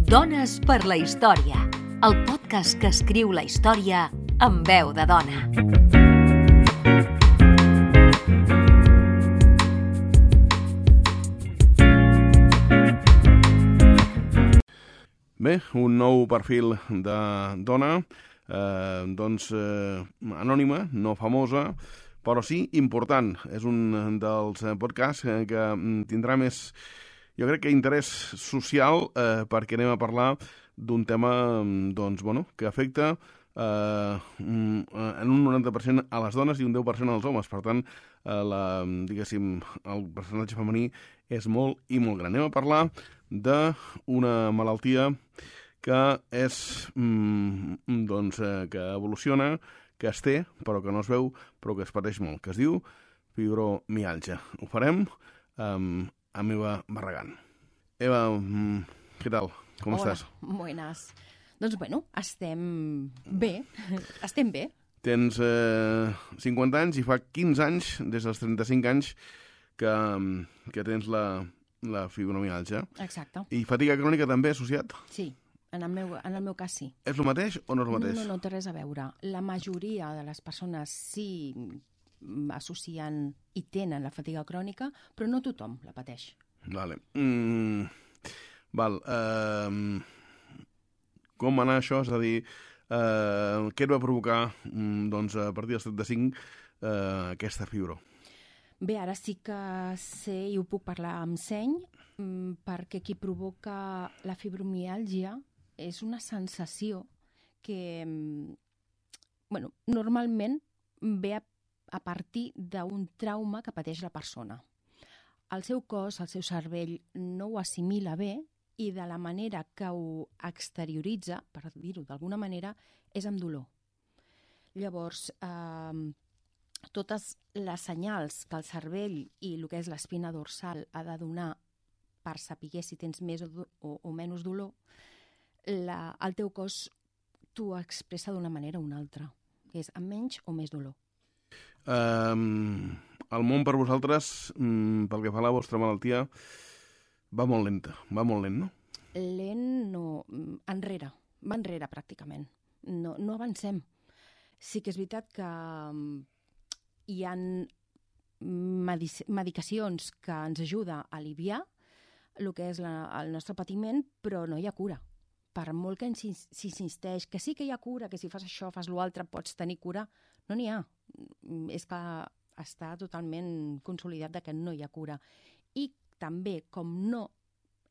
Dones per la història, el podcast que escriu la història amb veu de dona. Bé, un nou perfil de dona, anònima, no famosa, però sí important. És un dels podcasts que tindrà més, jo crec que interès social, perquè anem a parlar d'un tema que afecta en un 90% a les dones i un 10% als homes. Per tant, el percentatge femení és molt i molt gran. Anem a parlar d'una malaltia que és que evoluciona, que es té, però que no es veu, però que es pateix molt, que es diu fibromiàlgia. Ho farem amb Eva Barragán. Eva, què tal? Com estàs? Buenas. Doncs bueno, estem bé. Estem bé. Tens 50 anys i fa 15 anys, des dels 35 anys, que tens la fibromiàlgia. Exacte. I fatiga crònica també associat? Sí, en el meu cas sí. És el mateix o no és el mateix? No té res a veure. La majoria de les persones sí associen i tenen la fatiga crònica, però no tothom la pateix. Vale. Com va anar això? És a dir, què et va provocar a partir dels 35 aquesta fibro? Bé, ara sí que sé i ho puc parlar amb seny, perquè qui provoca la fibromiàlgia és una sensació que normalment ve a partir d'un trauma que pateix la persona. El seu cos, el seu cervell, no ho assimila bé i de la manera que ho exterioritza, per dir-ho d'alguna manera, és amb dolor. Llavors, totes les senyals que el cervell i el que és l'espina dorsal ha de donar per saber si tens més o menys dolor, el teu cos t'ho expressa d'una manera o una altra, que és amb menys o més dolor. El món per vosaltres, pel que fa a la vostra malaltia, va molt lent, no? Lent no, va enrere pràcticament. No avancem. Sí que és veritat que hi ha medicacions que ens ajuden a aliviar el que és el nostre patiment, però no hi ha cura. Per molt que s'insisteix que sí que hi ha cura, que si fas això, fas l'altre, pots tenir cura, no n'hi ha. És que està totalment consolidat de que no hi ha cura. I també, com no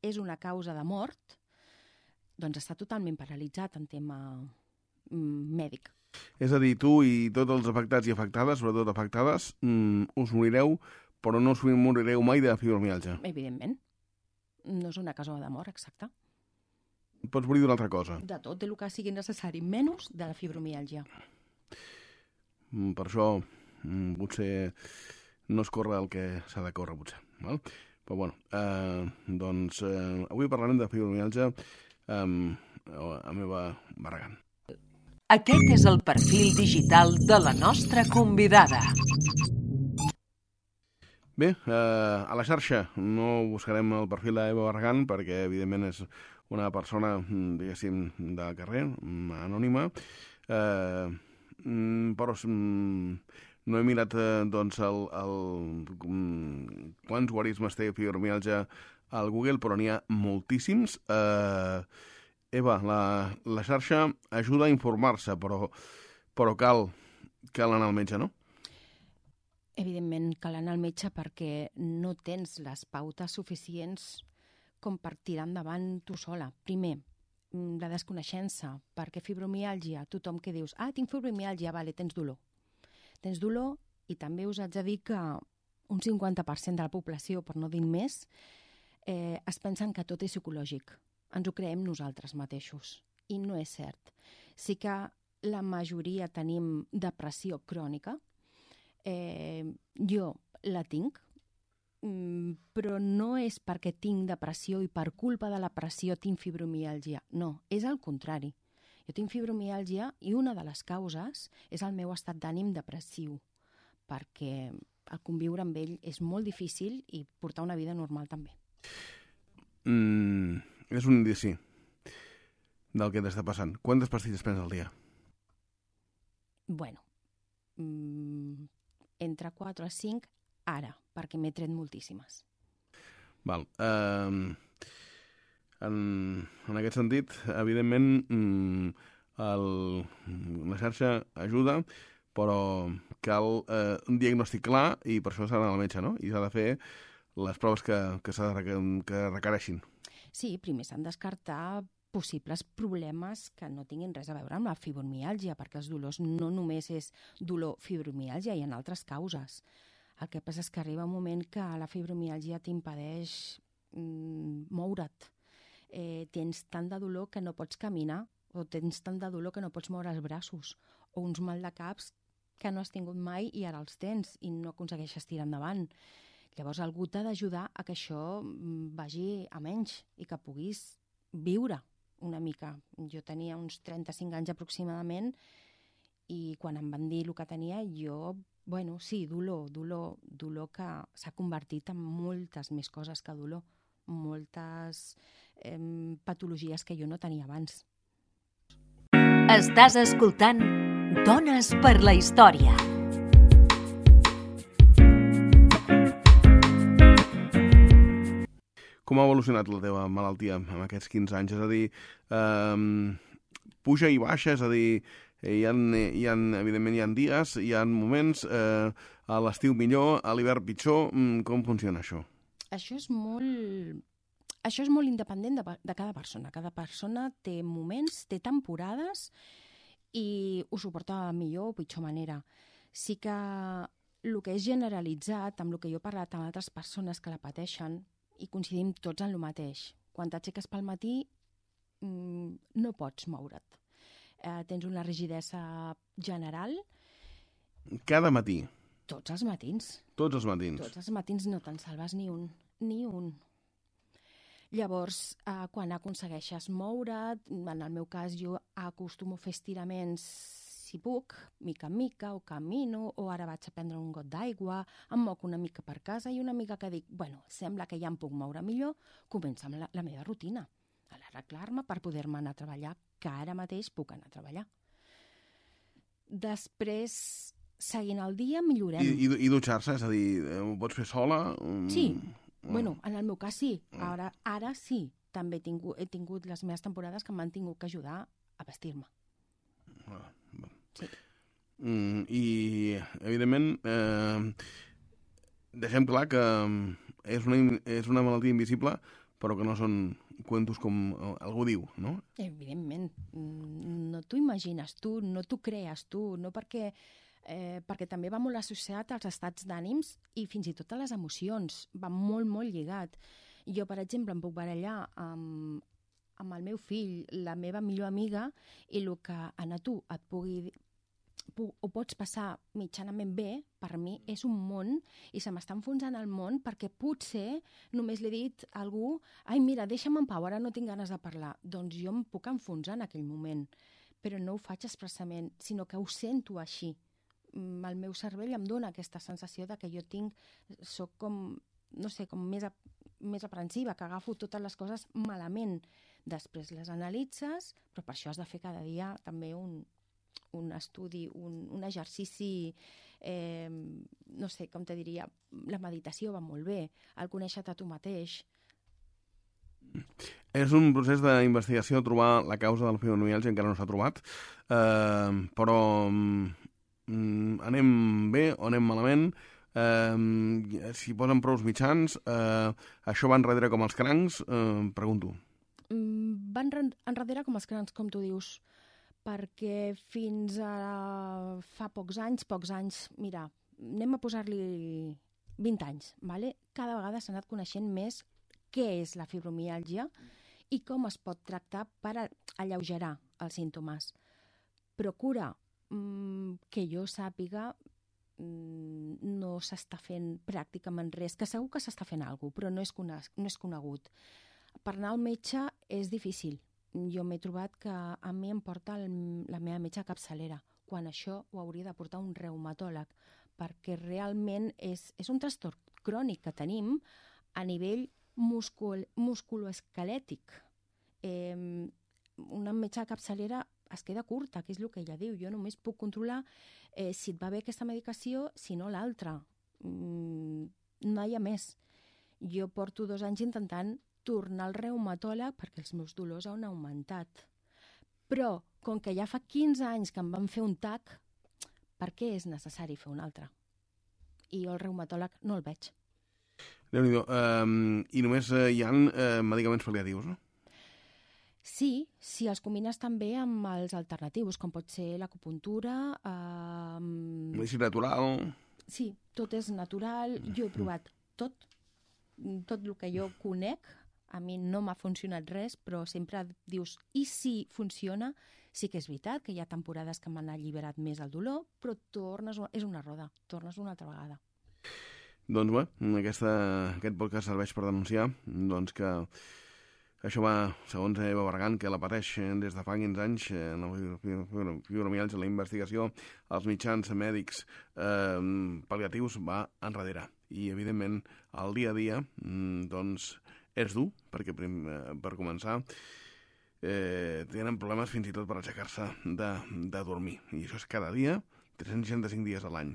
és una causa de mort, doncs està totalment paralitzat en tema mèdic. És a dir, tu i tots els afectats i afectades, sobretot afectades, us morireu, però no us morireu mai de fibromiàlgia. Evidentment. No és una causa de mort, exacte. Pots morir d'una altra cosa. De tot el que sigui necessari, menys de la fibromiàlgia. Per això potser no es corre el que s'ha de córrer, potser. Val? Però bueno, avui parlarem de fibromiàlgia amb Eva Barragán. Aquest és el perfil digital de la nostra convidada. Bé, a la xarxa no buscarem el perfil d'Eva Barragán perquè, evidentment, és una persona, diguéssim, de carrer, anònima, però no he mirat quants guarismes té fibromiàlgia al Google, però n'hi ha moltíssims. Eva, la xarxa ajuda a informar-se, però cal anar al metge, no? Evidentment, cal anar al metge perquè no tens les pautes suficients com per tirar endavant tu sola. Primer, la desconeixença, perquè fibromiàlgia, tothom que dius, tinc fibromiàlgia, vale, tens dolor. Tens dolor i també us haig de dir que un 50% de la població, per no dir més, es pensen que tot és psicològic. Ens ho creem nosaltres mateixos. I no és cert. Sí que la majoria tenim depressió crònica. Jo la tinc, però no és perquè tinc depressió i per culpa de la pressió tinc fibromiàlgia. No, és al contrari. Jo tinc fibromiàlgia i una de les causes és el meu estat d'ànim depressiu, perquè el conviure amb ell és molt difícil i portar una vida normal també. És un indici. del que t'està passant. Quantes pastilles prens al dia? Bueno, entre 4 a 5 ara, perquè m'he tret moltíssimes. Val. En aquest sentit, evidentment, la xarxa ajuda, però cal un diagnòstic clar i per això s'ha d'anar al metge, no? I s'ha de fer les proves que requereixin. Sí, primer s'han de descartar possibles problemes que no tinguin res a veure amb la fibromiàlgia, perquè els dolors no només és dolor fibromiàlgia, hi ha altres causes. El que passa és que arriba un moment que la fibromiàlgia t'impedeix moure't. Tens tant de dolor que no pots caminar, o tens tant de dolor que no pots moure els braços, o uns mal de caps que no has tingut mai i ara els tens i no aconsegueixes tirar endavant. Llavors algú t'ha d'ajudar a que això vagi a menys i que puguis viure una mica. Jo tenia uns 35 anys aproximadament i quan em van dir el que tenia, jo, bueno, sí, dolor que s'ha convertit en moltes més coses que dolor, moltes patologies que jo no tenia abans. Estàs escoltant Dones per la Història. Com ha evolucionat la teva malaltia en aquests 15 anys? És a dir, puja i baixa, és a dir, evidentment hi ha dies, hi ha moments, a l'estiu millor, a l'hivern pitjor. Com funciona això? Això és molt independent de cada persona. Cada persona té moments, té temporades i ho suporta millor o pitjor manera. Sí que el que és generalitzat, amb el que jo he parlat amb altres persones que la pateixen, i coincidim tots en el mateix. Quan t'aixeques pel matí no pots moure't. Tens una rigidesa general. Cada matí? Tots els matins. Tots els matins? Tots els matins no te'n salves ni un. Ni un. Llavors, quan aconsegueixes moure't, en el meu cas jo acostumo a fer estiraments si puc, mica en mica, o camino, o ara vaig a prendre un got d'aigua, em moc una mica per casa i una mica que dic, bueno, sembla que ja em puc moure millor, començo amb la meva rutina, a l'arreglar-me per poder-me anar a treballar, que ara mateix puc anar a treballar. Després, seguint el dia, millorem. I dutxar-se? És a dir, ho pots fer sola? Sí, bueno, en el meu cas sí. Ara sí. També he tingut les meves temporades que m'han tingut que ajudar a vestir-me. Sí. I, evidentment, deixem clar que és una malaltia invisible, però que no són cuentos com algú diu, no? Evidentment. No t'ho imagines tu, no t'ho crees tu, no perquè també va molt associat als estats d'ànims i fins i tot a les emocions. Va molt, molt lligat. Jo, per exemple, em puc barallar amb el meu fill, la meva millor amiga, i el que a tu ho pots passar mitjanament bé, per mi és un món i se m'està enfonsant el món perquè potser només li he dit a algú ai, mira, deixa'm en pau, ara no tinc ganes de parlar. Doncs jo em puc enfonsar en aquell moment, però no ho faig expressament, sinó que ho sento així. El meu cervell em dona aquesta sensació de que jo soc com, no sé, com més aprensiva, que agafo totes les coses malament. Després les analitzes, però per això has de fer cada dia també un estudi, un exercici, no sé, com te diria, la meditació va molt bé, el conèixer-te a tu mateix. És un procés d'investigació trobar la causa de la fibromiàlgia, encara no s'ha trobat, però anem bé o anem malament? Si posen prou mitjans, això va enrere com els crancs? Pregunto. Van enrere com els crancs, com tu dius, perquè fins a fa pocs anys, mira, anem a posar-li 20 anys, ¿vale? Cada vegada s'ha anat coneixent més què és la fibromiàlgia i com es pot tractar per alleugerar els símptomes. Procura que jo sàpiga no s'està fent pràcticament res, que segur que s'està fent alguna cosa, però no és conegut. Per anar al metge és difícil. Jo m'he trobat que a mi em porta la meva metge capçalera, quan això ho hauria de portar un reumatòleg, perquè realment és un trastorn crònic que tenim a nivell musculoesquelètic. una metge de capçalera es queda curta, que és el que ella diu. Jo només puc controlar si et va bé aquesta medicació, si no l'altra. No hi ha més. Jo porto 2 anys intentant tornar al reumatòleg perquè els meus dolors han augmentat. Però, com que ja fa 15 anys que em van fer un TAC, per què és necessari fer un altre? I jo el reumatòleg no el veig. Déu-n'hi-do. I només hi ha medicaments pal·liatius, no? Sí, si els combines també amb els alternatius, com pot ser l'acupuntura... Medicina natural... Sí, tot és natural. Jo he provat tot el que jo conec. A mi no m'ha funcionat res, però sempre dius, i si funciona? Sí que és veritat que hi ha temporades que m'han alliberat més el dolor, però és una roda, tornes una altra vegada. Doncs bé, aquest podcast serveix per denunciar que això va, segons Eva Bargan, que la pateix des de fa 15 anys, fibromialgia, la investigació, els mitjans mèdics pal·liatius va enrere. I, evidentment, el dia a dia, és dur, perquè per començar tenen problemes fins i tot per aixecar-se de dormir. I això és cada dia, 365 dies a l'any.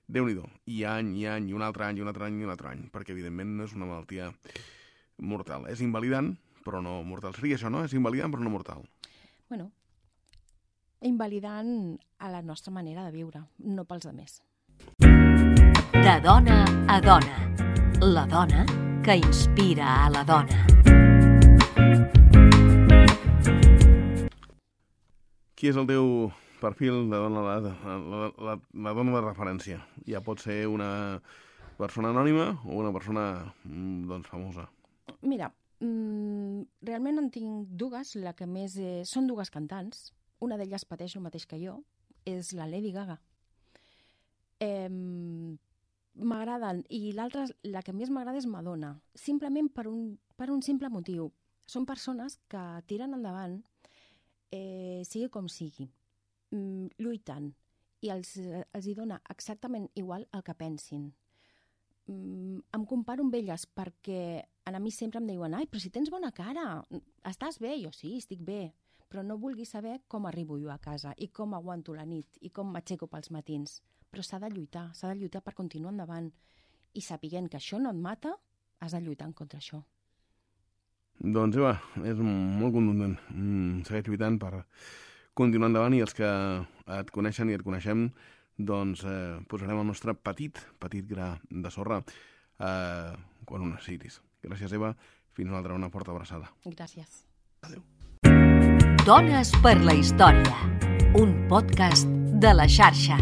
Déu-n'hi-do. I any, i un altre any, i un altre any, i un altre any, perquè, evidentment, no és una malaltia mortal. És invalidant, però no mortal. Seria això, no? És invalidant, però no mortal. Bueno, invalidant a la nostra manera de viure, no pels altres. De dona a dona. La dona que inspira a la dona. Qui és el teu perfil de dona, la dona de referència? Ja pot ser una persona anònima o una persona famosa. Mira, realment en tinc dues. La que més són dues cantants. Una d'elles pateix el mateix que jo. És la Lady Gaga. M'agraden. I l'altra, la que més m'agrada és Madonna. Simplement per un simple motiu. Són persones que tiren endavant, sigui com sigui, lluitant, i els hi dona exactament igual el que pensin. Em comparo amb elles perquè a mi sempre em diuen ai, però si tens bona cara, estàs bé? Jo sí, estic bé, però no vulguis saber com arribo jo a casa i com aguanto la nit i com m'aixeco pels matins. Però s'ha de lluitar per continuar endavant. I sapiguent que això no et mata, has de lluitar contra això. Doncs Eva, és molt contundent. Segueix lluitant per continuar endavant i els que et coneixen i et coneixem posarem el nostre petit gra de sorra quan ho necessitis. Gràcies, Eva. Fins una altra, una forta abraçada. Gràcies. Adéu. Dones per la història. Un podcast de La Xarxa.